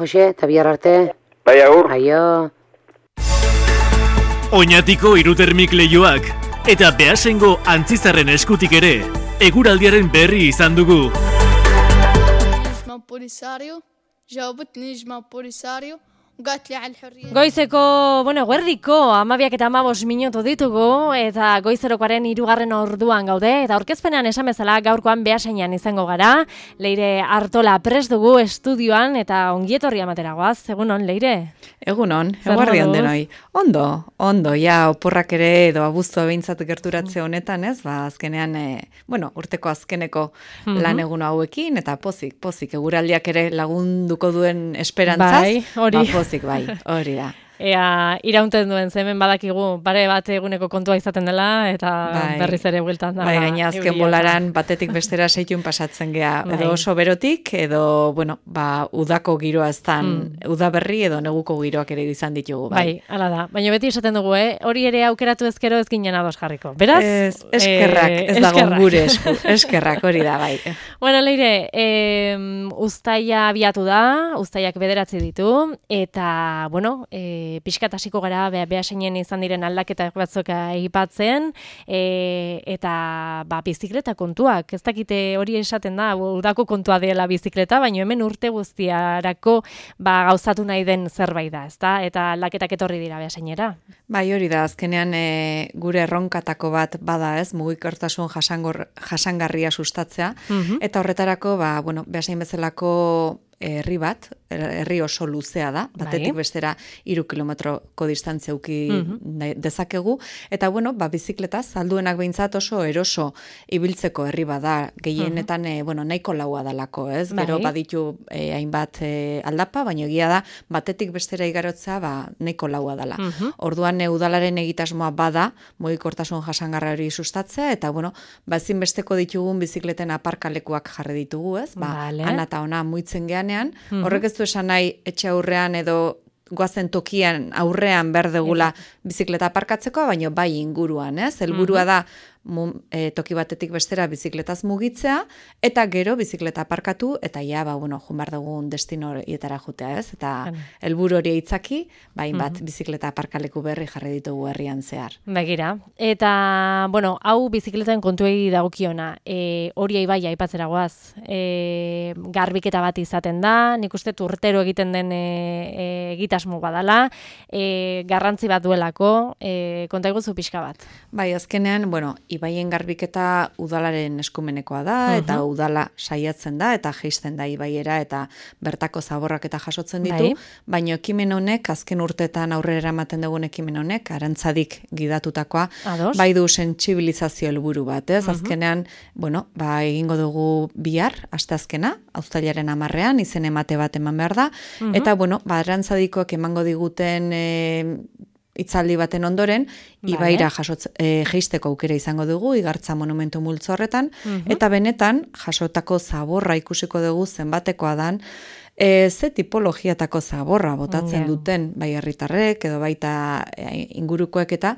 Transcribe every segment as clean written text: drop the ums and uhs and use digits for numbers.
Jose, eta bihar arte. Bai, agur. Aio. Oñatiko hirutermik leioak eta Beasaingo Antzizarren eskutik ere eguraldiaren berri izan dugu. Goizeko, guerdiko 12 eta 15 minutu ditugu eta goizerokoaren 3. orduan gaude eta aurkezpenean esan bezala gaurkoan Beasainan izango gara. Leire Artola prest dugu estudioan eta ongietorria emateragoaz. Egunon, Leire? Egunon, eguardion denoi. Ondo, ja oporrak ere edo abuztua behintzat gerturatze honetan, ez? Azkenean, urteko azkeneko lan egun hauekin eta pozik, eguraldiak ere lagunduko duen esperantzaz. Bai, hori. Pozik, bai, hori da. Ea, iraunten duen, hemen badakigu, pare bat eguneko kontua izaten dela, eta berriz ere bueltan da. Bai, gaina azken bolaran batetik bestera seitun pasatzen gea, edo oso berotik, edo, udako giroa eztan, udaberri edo neguko giroak ere izan ditugu, bai. Bai, hala da. Baina beti esaten dugu, hori ere aukeratu ezkero ez ginen ados jarriko. Beraz? Eskerrak, ez dago gure esku, eskerrak, hori da, bai. Bueno, Leire, uztaia abiatu da, uztaiak 9 ditu, eta, pixkat hasiko gara Beasainen izan diren aldaketa batzuk aipatzen eta bizikleta kontuak. Ez dakite hori esaten da, udako kontua dela bizikleta, baina hemen urte guztiarako gauzatu nahi den zerbait da, ezta? Eta aldaketak etorri dira Beasainera. Bai, hori da, azkenean gure erronkatako bat bada, ez, mugikortasun jasangarria sustatzea, eta horretarako, Beasain bezalako herri oso luzea da, batetik bestera 3 kilometroko distantzia uki dezakegu, eta bizikleta salduenak behintzat oso eroso ibiltzeko herri bada, gehienetan nahiko laua dalako, ez? Gero baditu hainbat aldapa, baina egia da, batetik bestera igarotzea nahiko laua dala. Orduan udalaren egitasmoa bada, mugikortasun jasangarra hori sustatzea, eta ezinbesteko ditugun bizikleten aparkalekuak jarri ditugu, ez? Ana eta ona muitzen geanean, horrek ez du esan nahi etxe aurrean edo goazen tokian aurrean berdegula bizikleta aparkatzeko, baina bai inguruan, ez? Helburua da toki batetik bestera bizikletaz mugitzea, eta gero bizikleta aparkatu, eta jumar dugun destino horietara jutea, ez? Eta helburu hori eitzaki, bat bizikleta aparkaleku berri jarri ditugu herrian zehar. Begira. Eta, hau bizikleten kontuei dagokiona, hori bai aipatzera goaz, garbiketa bat izaten da, nik uste urtero egiten den egitasmo badala, garrantzi bat duelako, konta iguzu pixka bat. Bai, azkenean, ibaien garbiketa udalaren eskumenekoa da, eta udala saiatzen da, eta jeisten da ibaiera, eta bertako zaborrak eta jasotzen ditu, baina ekimen honek, azken urteetan aurrera eramaten dugun ekimen honek, arantzadik gidatutakoa, bai du sentsibilizazio helburu bat, ez? Azkenean, egingo dugu bihar, asteazkena, uztailaren 10ean, izen emate bat eman behar da, eta, arantzadikoak emango diguten hitzaldi baten ondoren, ibaira jeisteko aukera izango dugu, Igartza monumentu multzo horretan, eta benetan, jasotako zaborra ikusiko dugu zenbatekoa dan, ze tipologiatako zaborra botatzen duten, bai herritarrek, edo baita ingurukoek eta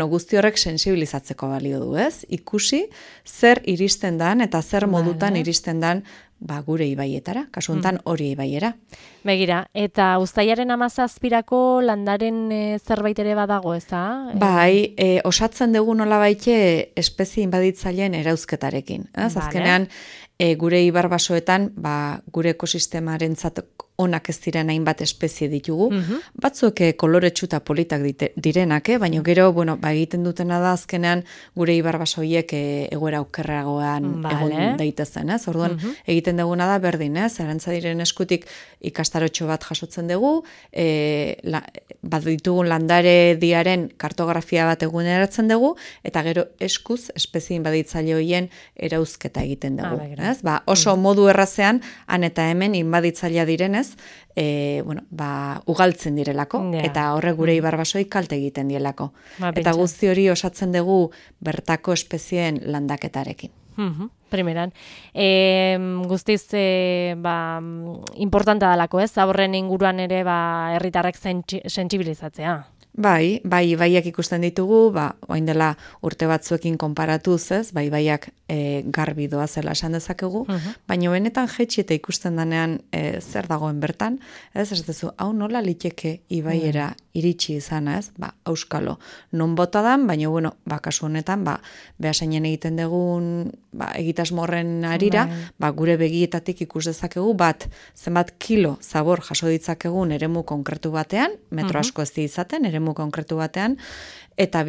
guzti horrek sensibilizatzeko balio du, ez? Ikusi, zer iristen dan, eta zer modutan iristen dan, gure ibaietara, kasu honetan hori ibaiera. Begira, eta uztailaren 17 landaren zerbait ere badago, ez da? Bai, osatzen dugu nolabaite espezie inbaditzaileen erauzketarekin. Azkenean, gure ibarbasoetan, gure ekosistemarentzat onak ez diren hainbat espezie ditugu. Batzuek koloretsu eta politak direnak, baina gero, egiten dutena da azkenean gure ibarbasoiek egoera okerragoan egon daitezen, ez? Orduan, egiten duguna da berdin, ez? Arantzadiren eskutik ikastarotxo bat jasotzen dugu, bat ditugun landare diaren kartografia bat eguneratzen dugu, eta gero eskuz espezie inbaditzaile horien erauzketa egiten dugu. Oso modu errazean, han eta hemen inbaditzailea direnez, ugaltzen direlako, eta horrek gure ibarbasoi kalte egiten dielako. Eta guzti hori osatzen dugu bertako espezieen landaketarekin. Primeran. Guztiz importanta dalako, ez? Zaborren inguruan ere herritarrek sentsibilizatzea. Ibaiak ikusten ditugu, orain dela urte batzuekin konparatuz, ez, ibaiak garbi doa zela esan dezakegu, baina benetan jetxi eta ikusten danean zer dagoen bertan, ez dezu, hau nola liteke ibaiera iritsi izana, ez, auskalo, non bota dan, baina, kasu honetan, Beasainen egiten dugun egitasmorren arira, gure begietatik ikus dezakegu zenbat kilo zabor jaso ditzakegun eremu konkretu batean, metro asko ez izaten, eremu konkretu batean, eta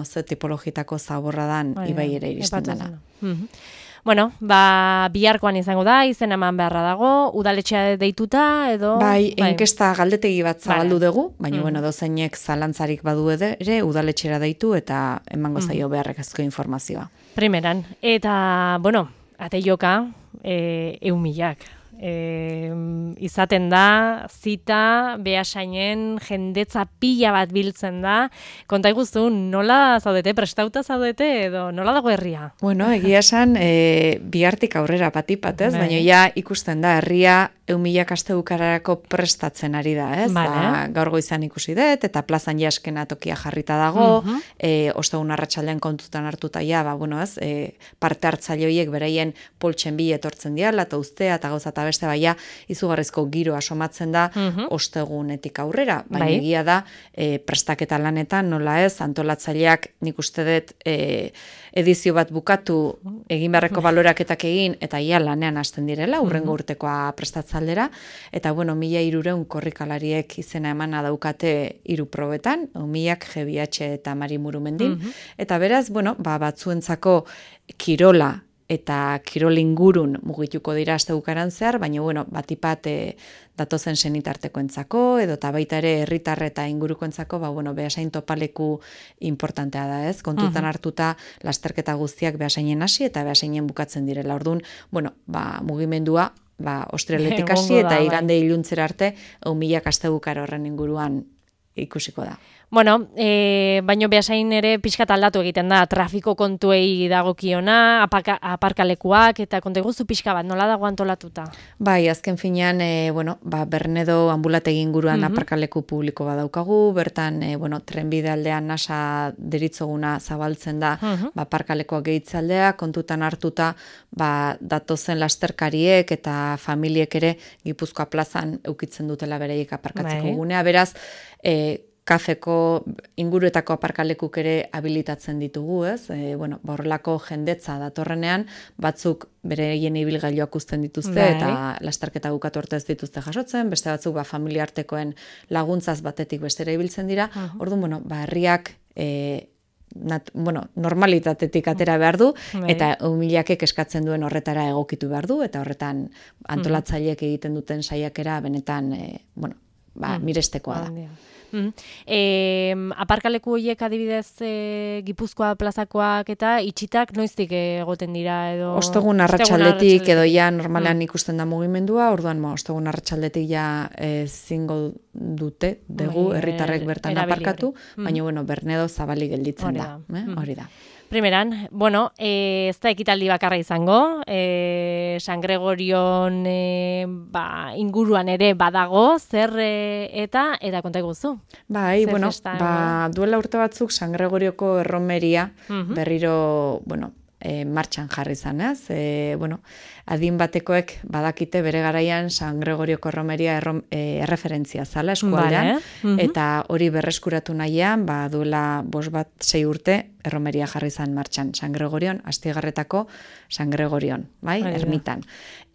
ze tipologitako zaborra dan ibai ere iristen dena. Bueno, biharkoan izango da, izen eman beharra dago, udaletxea deituta, edo... Enkesta galdetegi bat zabaldu dugu, baina, dozeinek zalantzarik badu ere, udaletxera deitu eta emango zaio beharrekazko informazioa. Primeran, eta, ate joka, 1.000. Izaten da, zita, Beasainen jendetza pila bat biltzen da. Konta iguzu, nola zaudete, prestauta zaudete, edo nola dago herria? Egia esan, bihartik aurrera patipat, ez? Baina ja ikusten da, herria 1.000 astebukararako prestatzen ari da, ez? Gaur goizan ikusi dut, eta plazan jaskena tokia jarrita dago, ostegun arratsaldean kontutan hartuta ez? Parte hartzaile horiek beraien poltsen bi etortzen diala, eta ustea, eta gauza eta beste izugarrizko giro asomatzen da ostegunetik aurrera, baina egia da prestaketa lanetan, nola ez, antolatzaileak nik uste dut edizio bat bukatu egin beharreko baloraketak egin, eta ia lanean hasten direla, hurrengo urtekoa prestatzaldera, eta 1.300 korrikalariek izena emana daukate 3 probetan, 1.000 GBH eta Mari Murumendin, eta beraz, batzuentzako kirola eta kirol ingurun mugituko dira astebukaran zehar, baina, batipat datozen senitartekoentzako, edo eta baita ere herritar eta ingurukoentzako, Beasain topaleku importantea da, ez? Kontutan hartuta lasterketa guztiak Beasainen hasi eta Beasainen bukatzen direla. Orduan, mugimendua, ostrialetik hasi eta igande iluntzera arte, 1.000 astebukar horren inguruan ikusiko da. Baino Beasain ere pixkat aldatu egiten da, trafiko kontuei dagokiona, aparkalekuak, eta konta iguzu pixka bat, nola dago antolatuta? Azken finean, Bernedo ambulategi inguruan aparkaleku publiko badaukagu, bertan, trenbide aldean nasa deritzoguna zabaltzen da, aparkalekoak gehitzaldea, kontutan hartuta, datozen lasterkariek eta familiek ere Gipuzkoa plazan eukitzen dutela bereiek aparkatzeko gunea, beraz, kafeko inguruetako aparkalekuk ere habilitatzen ditugu, ez? Horrelako jendetza datorrenean, batzuk bereien ibilgailuak uzten dituzte, eta lasterketa bukatu arte ez dituzte jasotzen, beste batzuk familia artekoen laguntzaz batetik bestera ibiltzen dira, orduan, herriak normalitatetik atera behar du, eta 1.000 eskatzen duen horretara egokitu behar du, eta horretan antolatzaileek egiten duten saiakera benetan, mirestekoa da. Aparkaleku horiek adibidez Gipuzkoa plazakoak eta itxitak noiztik egoten dira edo... Ostegun arratsaldetik edo ja normalean ikusten da mugimendua, orduan ostegun arratsaldetik ja zingo dute dugu herritarrek bertan aparkatu, baina Bernedo zabalik gelditzen da, hori da. Primeran, ez da ekitaldi bakarra izango, San Gregorion inguruan ere badago, zer eta konta iguzu? Duela urte batzuk San Gregorioko erromeria berriro, martxan jarri zanez, adin batekoek badakite bere garaian San Gregorioko erromeria erreferentzia zala eskualdean, eta hori berreskuratu nahian, duela 5-6 urte, erromeria jarri zan martxan, San Gregorion, Astigarretako San Gregorion, ermitan.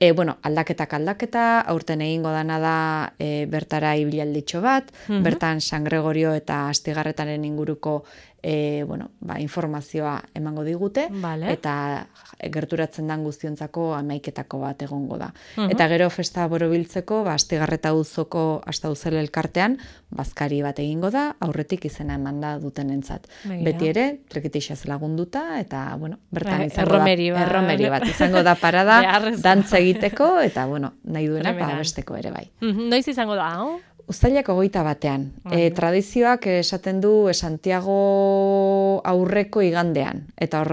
Aldaketa, aurten egingo dana da bertara ibialditxo bat, bertan San Gregorio eta Astigarretaren inguruko informazioa emango digute, eta gerturatzen dan guztiontzako amaiketako bat egongo da. Eta gero festa borobiltzeko, Astigarreta auzoko Astauzel elkartean, bazkari bat egingo da, aurretik izena emanda dutenentzat. Beti ere, trekitixaz lagunduta, eta, bertan izango da, erromeri bat, izango da parada, dantza egiteko, eta, nahi duena, besteko ere bai. Noiz izango da, hau? Uztailak 21. Tradizioak esaten du Santiago aurreko igandean. Eta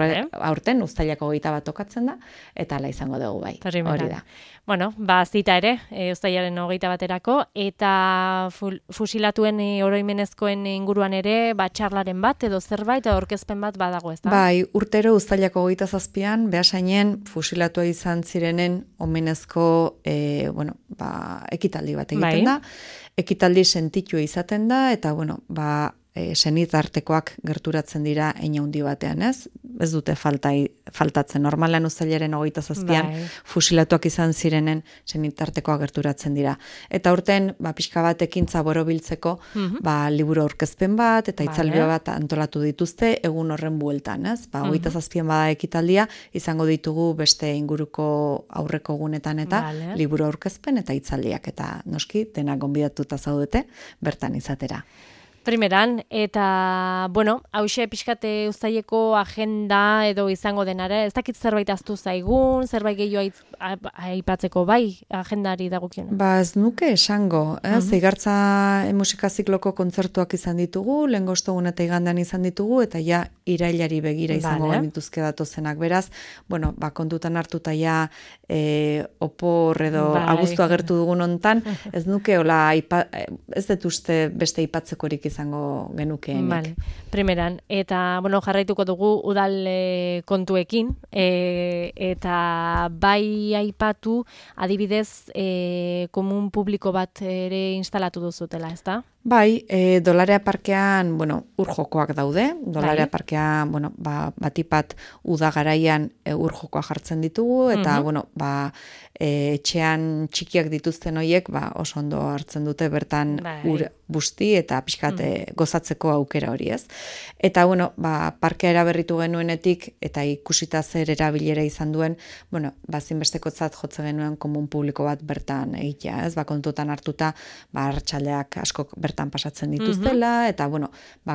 aurten uztailak 21 tokatzen da, eta ala izango dugu bai. Hori da. Bueno, zita ere, uztailaren 21erako, eta fusilatuen oroimenezkoen inguruan ere, txarlaren bat edo zerbait, edo aurkezpen bat badago, ez da? Bai, urtero uztailak 27an, Beasainen fusilatua izan zirenen omenezko, ekitaldi bat egiten da. Ekitaldi sentitua izaten da, eta, senitartekoak gerturatzen dira hein handi batean, ez? Ez dute faltatzen. Normalan uztailaren 27an fusilatuak izan zirenen senitartekoak gerturatzen dira. Eta urten, pixka bat ekintza borobiltzeko, liburu aurkezpen bat, eta itzalbia bat antolatu dituzte, egun horren bueltan, ez? 27an bada ekitaldia, izango ditugu beste inguruko aurreko egunetan eta liburu aurkezpen eta itzaldiak, eta noski, denak gonbidatuta zaudete, bertan izatera. Primeran, eta, hause pixkate uztaileko agenda edo izango denara, ez dakit zerbait aztu zaigun, zerbait gehiago aipatzeko bai, agendari dagokiona? Ez nuke esango, Igartza musika zikloko kontzertuak izan ditugu, lehengo ostegun eta igandean izan ditugu, eta ja irailari begira izango genituzke datozenak. Beraz, kontutan hartuta ja opor edo abuztu agertu dugun hontan, ez nuke ez dut uste beste aipatzekorik izango genukeenik. Primeran, eta jarraituko dugu udal kontuekin, eta bai aipatu adibidez komun publiko bat ere instalatu duzutela, ez da? Bai, Dolarea parkean, ur jokoak daude. Dolarea parkean, batipat udagaraian ur jokoa jartzen ditugu, eta, etxean txikiak dituzten horiek, oso ondo hartzen dute bertan ur busti eta pixkat gozatzeko aukera hori, ez? Eta, parkea eraberritu genuenetik, eta ikusita zer erabilera izan duen, zinbestekotzat jotze genuen komun publiko bat bertan egitea, ez? Kontutan hartuta, arratsaldeak asko bertan pasatzen dituztela, eta,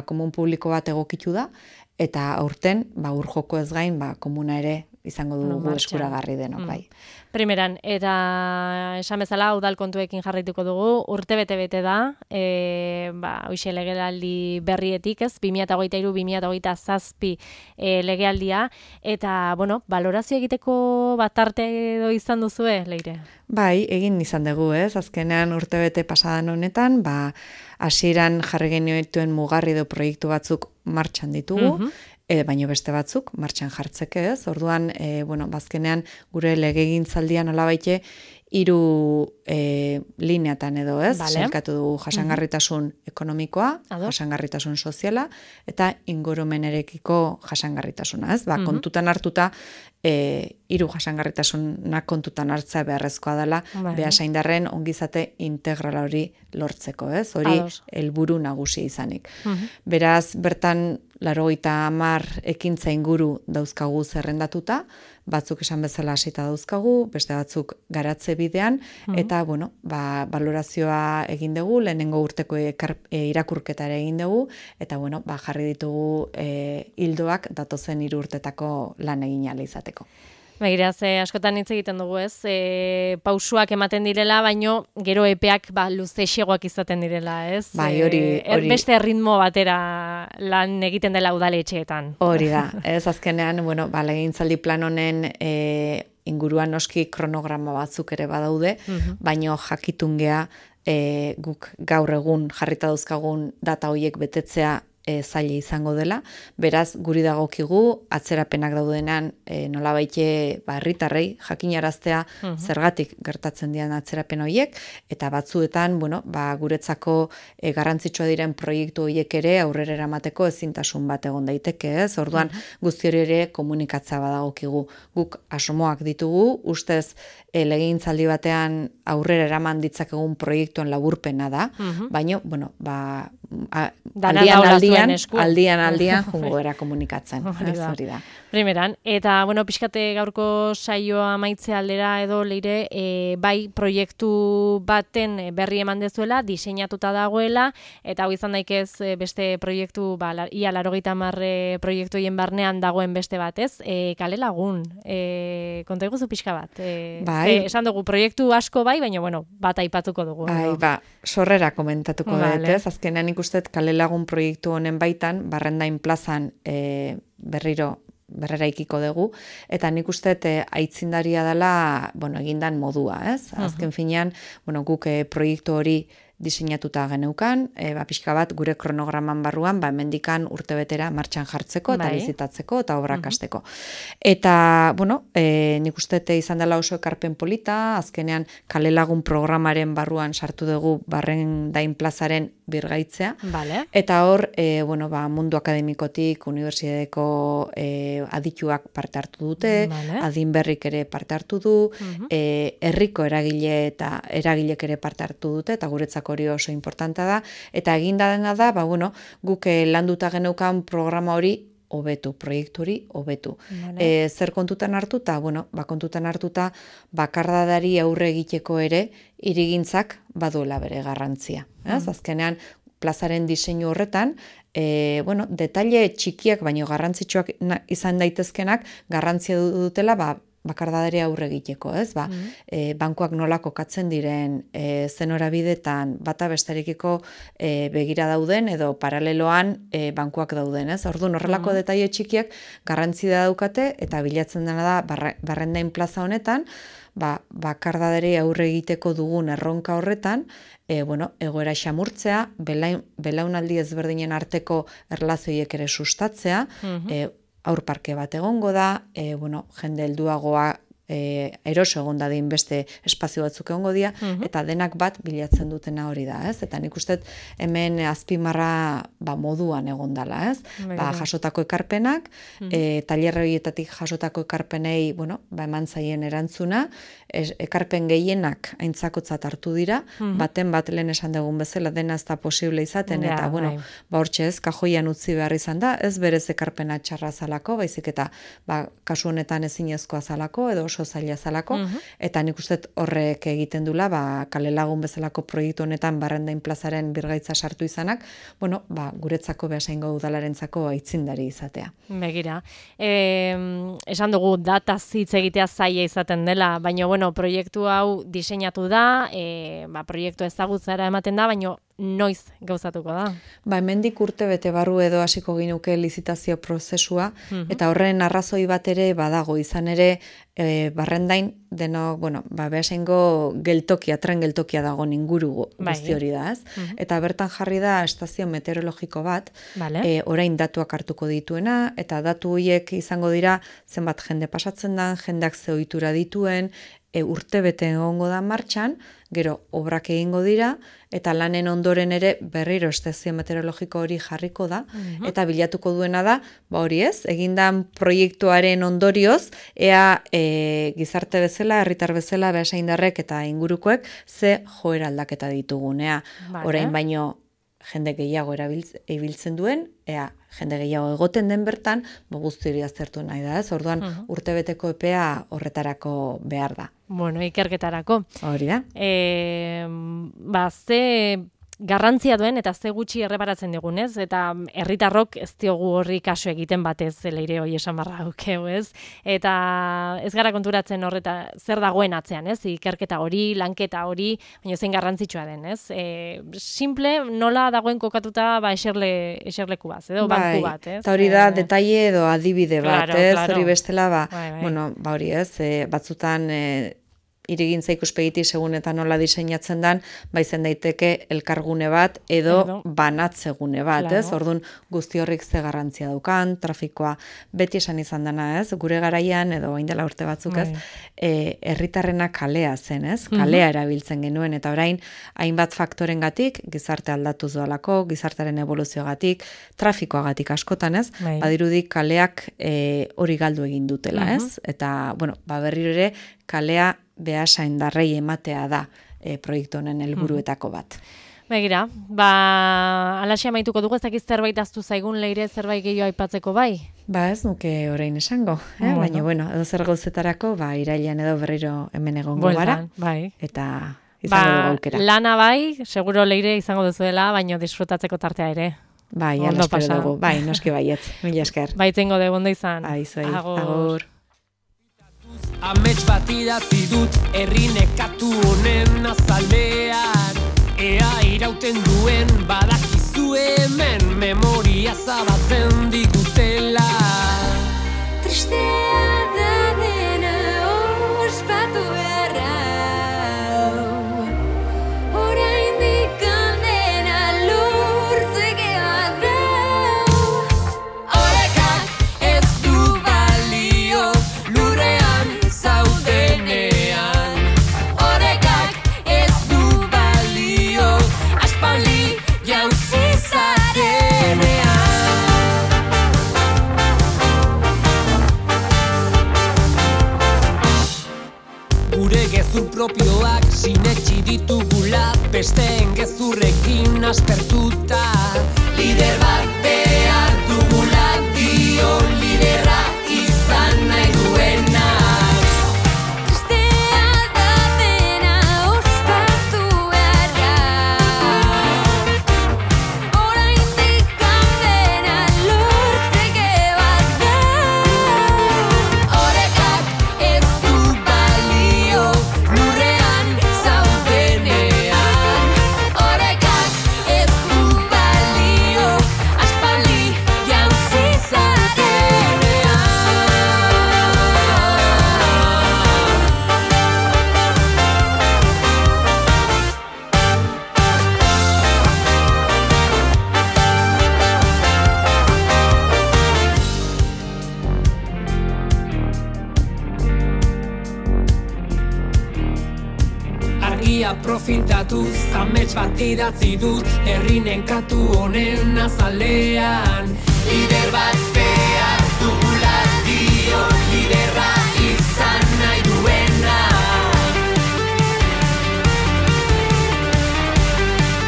komun publiko bat egokitu da, eta aurten, ur joko ez gain, komuna ere izango dugu eskuragarri denok, bai. Primeran, eta esan bezala, udal kontuekin jarraituko dugu, urte bete da, hoxe legealdi berrietik, ez, 2023-2027 legealdia, eta, balorazio egiteko batarte edo izan duzue, Leire? Bai, egin izan dugu, ez, azkenean urte bete pasadan honetan, hasieran jarri genituen mugarri edo proiektu batzuk martxan ditugu, baino beste batzuk martxan jartzeke, ez? Orduan, bazkenean gure legegintzaldian nolabaite 3 lineatan edo, ez? Sailkatu dugu jasangarritasun ekonomikoa, jasangarritasun soziala eta ingurumenarekiko jasangarritasuna, ez? Kontutan hartuta 3 jasangarritasunak kontutan hartzea beharrezkoa dela, Beasaindarren ongizate integrala hori lortzeko, ez? Hori helburu nagusi izanik. Beraz, bertan 80 ekintza inguru dauzkagu zerrendatuta, batzuk esan bezala hasita dauzkagu, beste batzuk garatze bidean, eta, balorazioa egin dugu, lehenengo urteko irakurketa ere egin dugu, eta, jarri ditugu hildoak datozen 3 urtetako lan egin ahal izateko. Begira, askotan hitz egiten dugu, ez? Pausuak ematen direla, baino gero epeak luzexegoak izaten direla, ez? Bai, hori. Beste ritmo batera lan egiten dela udaletxeetan. Hori da. Ez azkenean, legegintzaldi plan honen inguruan noski kronograma batzuk ere badaude, baino jakitun gea guk gaur egun jarrita dauzkagun data horiek betetzea zaila izango dela, beraz guri dagokigu atzerapenak daudenan nolabaite herritarrei jakinaraztea zergatik gertatzen dian atzerapen horiek, eta batzuetan guretzako garrantzitsua diren proiektu horiek ere aurrera eramateko ezintasun bat egon daiteke, ez? Orduan guzti hori ere komunikatza badagokigu. Guk asmoak ditugu, ustez legegintzaldi batean aurrera eraman ditzakegun proiektuen laburpena da, baino aldian jungo era komunikatzen. Hori da. Primeran, eta, bueno, pixkate gaurko saioa maitze aldera edo leire, bai proiektu baten berri eman dezuela, diseinatuta dagoela, eta hau izan daikez beste proiektu, ia 80 proiektu hien barnean dagoen beste bat, ez? Kale Lagun, konta iguzu pixka bat. Esan dugu, proiektu asko bai, baina, bueno, bat aipatuko dugu. Sorrera komentatuko dut, ez? Azkenean ikustet Kale Lagun proiektu honen baitan, Barrendain plazan berrera ikiko dugu, eta nik usteet aitzindaria dela, egindan modua, ez? Azken finean, guk proiektu hori diseinatuta geneukan, pixka bat gure kronograman barruan, hemendikan urtebetera martxan jartzeko, eta bizitatzeko, eta obrak hasteko. Eta, nik usteet izan dela oso ekarpen polita, azkenean Kale Lagun programaren barruan sartu dugu Barrendain plazaren birgaitzea, eta hor, mundu akademikotik, unibertsitateko adituak parte hartu dute, adin berrik ere parte hartu du, herriko eragilek ere parte hartu dute, eta guretzako hori oso importanta da, eta eginda dena da, guk landuta geneukan programa hori hobetu, proiektu hori hobetu. Zer kontutan hartuta? Kontutan hartuta bakardadari aurre egiteko ere hirigintzak baduela bere garrantzia. Azkenean, plazaren diseinu horretan, detaile txikiak baino garrantzitsuak izan daitezkenak garrantzia dutela bakardadari aurre egiteko, ez? Bankuak nola kokatzen diren, zen horabidetan, bata besterekiko begira dauden, edo paraleloan bankuak dauden, ez? Orduan, horrelako detaile txikiak garrantzia daukate, eta bilatzen dena da Barrendain plaza honetan, bakardadari aurre egiteko dugun erronka horretan, egoera xamurtzea, belaunaldi ezberdinen arteko erlazioiek ere sustatzea, aurparke bat egongo da, jende helduagoa eroso egon dadin beste espazio batzuk egongo dira, eta denak bat bilatzen dutena hori da, ez? Eta nik uste hemen azpimarra moduan egon dela, ez? Jasotako ekarpenak, tailerroietatik jasotako ekarpenei, eman zaien erantzuna, ekarpen gehienak aintzakotzat hartu dira, baten bat lehen esan dugun bezala dena ez da posible izaten, eta hortxe ez, kajoian utzi behar izan da, ez berez ekarpena txarra zalako, baizik eta kasu honetan ezinezkoa zalako, edo oso zaila zalako, eta nik uste horrek egiten dula, Kale Lagun bezalako proiektu honetan Barrendain plazaren birgaitza sartu izanak, guretzako Beasaingo udalarentzako aitzindari izatea. Begira, esan dugu data hitz egitea zaila izaten dela, baina proiektu hau diseinatu da, proiektu ezagutzara ematen da, baina noiz gauzatuko da? Hemendik urte bete barru edo hasiko ginuke lizitazio prozesua, eta horren arrazoi bat ere badago, izan ere Barrendain deno, Beasaingo geltokia, tren geltokia dago inguru guzti hori da, ez? Eta bertan jarri da estazio meteorologiko bat, orain datuak hartuko dituena, eta datu horiek izango dira zenbat jende pasatzen da, jendeak ze ohitura dituen, urte bete egongo da martxan, gero obrak egingo dira, eta lanen ondoren ere berriro estazio meteorologiko hori jarriko da, eta bilatuko duena da, hori ez, egindan proiektuaren ondorioz, ea gizarte bezala, herritar bezala, Beasaindarrek eta ingurukoek, ze joera aldaketa ditugunea. Orain baino jende gehiago ibiltzen duen, ea jende gehiago egoten den bertan, guzti hori aztertu nahi da, ez? Orduan, urtebeteko epea horretarako behar da. Ikerketarako. Hori da. Ze garrantzia duen eta ze gutxi erreparatzen digunez, eta herritarrok ez diogu horri kasu egiten batez leire hori esan barra dukeu, ez? Eta ez gara konturatzen horreta zer dagoen atzean, ez? Ikerketa hori, lanketa hori, baina zein garrantzitsua den, ez? Simple, nola dagoen kokatuta eserleku bat, edo banku bat, ez? Eta hori da, detaile edo adibide bat, ez? Hori bestela, hori ez, batzutan irigintza ikuspegitik segun eta nola diseinatzen dan, izen daiteke elkargune bat edo banatzegune bat, ez? Orduan guzti horrik ze garrantzia daukan, trafikoa beti esan izan dena, ez? Gure garaian edo orain dela urte batzuk, ez? Herritarrena kalea zen, ez? Kalea erabiltzen genuen, eta orain hainbat faktorengatik, gizarte aldatuz doalako, gizartearen evoluzioagatik, trafikoagatik askotan, ez? Badirudik kaleak hori galdu egin dutela, ez? Eta, berriro ere, kalea Beasaindarrei ematea da proiektu honen helburuetako bat. Begira, alaxia amaituko dugu, ez dakiz zerbait aztu zaigun Leire, zerbait gehiago aipatzeko bai? Ez nuke orain esango, baina edo zer gauzetarako, irailean edo berriro hemen egongo gara, bai. Eta izango dugu aukera. Lana bai, seguro Leire izango duzuela, baina disfrutatzeko tartea ere. Bai, ala espero dugu, noski baietz, mila esker. Baitzengo dugu, ondo izan. Agur. Amets bat idatzi dut herri nekatu honen azalean, ea irauten duen badakizu hemen memoria zabatzen digutela. Tristea da dena ospatu beharra, oraindik dena lortzeke bada. Orekak ez du balio lurrean zaudenean, orekak ez du balio aspaldi jauzi zarenean. Gure gezur propioak sinetxi ditugula, besteen gezurrekin aspertuta. Lider bat behar dugula, dio liderra izan nahi duenak. Tristea da dena ospatu beharra, oraindik dena lortzeke bada. Orekak ez du balio lurrean zaudenean, orekak ez du balio aspaldi jauzi zarenean. Argia profitatuz, amets bat idatzi dut herri nenkatu honen azalean, lider bat behar